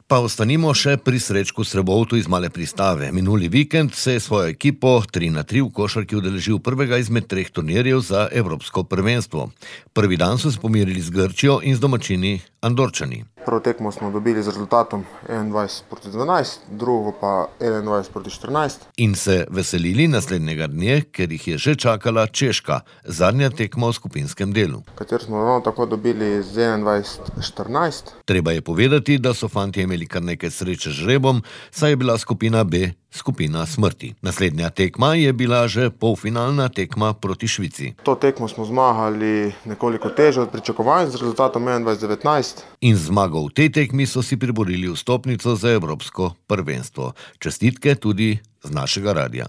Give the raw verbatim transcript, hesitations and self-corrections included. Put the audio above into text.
Pa ostanimo še pri Srečku Srebovtu iz Male Pristave. Minuli vikend se je svojo ekipo tri na tri v košarki udeležil prvega izmed treh turnirjev za evropsko prvenstvo. Prvi dan so se pomirili z Grčijo in z domačini Andorčani. Prvo tekmo smo dobili z rezultatom enaindvajset proti dvanajst, drugo pa enaindvajset proti štirinajst. In se veselili naslednjega dne, ker jih je že čakala Češka, zadnja tekma v skupinskem delu. Kater smo ravno tako dobili z enaindvajset štirinajst. Treba je povedati, da so fantje imeli kar nekaj sreče z žrebom, saj je bila skupina B skupina smrti. Naslednja tekma je bila že polfinalna tekma proti Švici. To tekmo smo zmagali nekoliko težje od pričakovanj z rezultatom enaindvajset devetnajst. In zmago v tej tekmi so si priborili vstopnico za evropsko prvenstvo. Čestitke tudi z našega radia.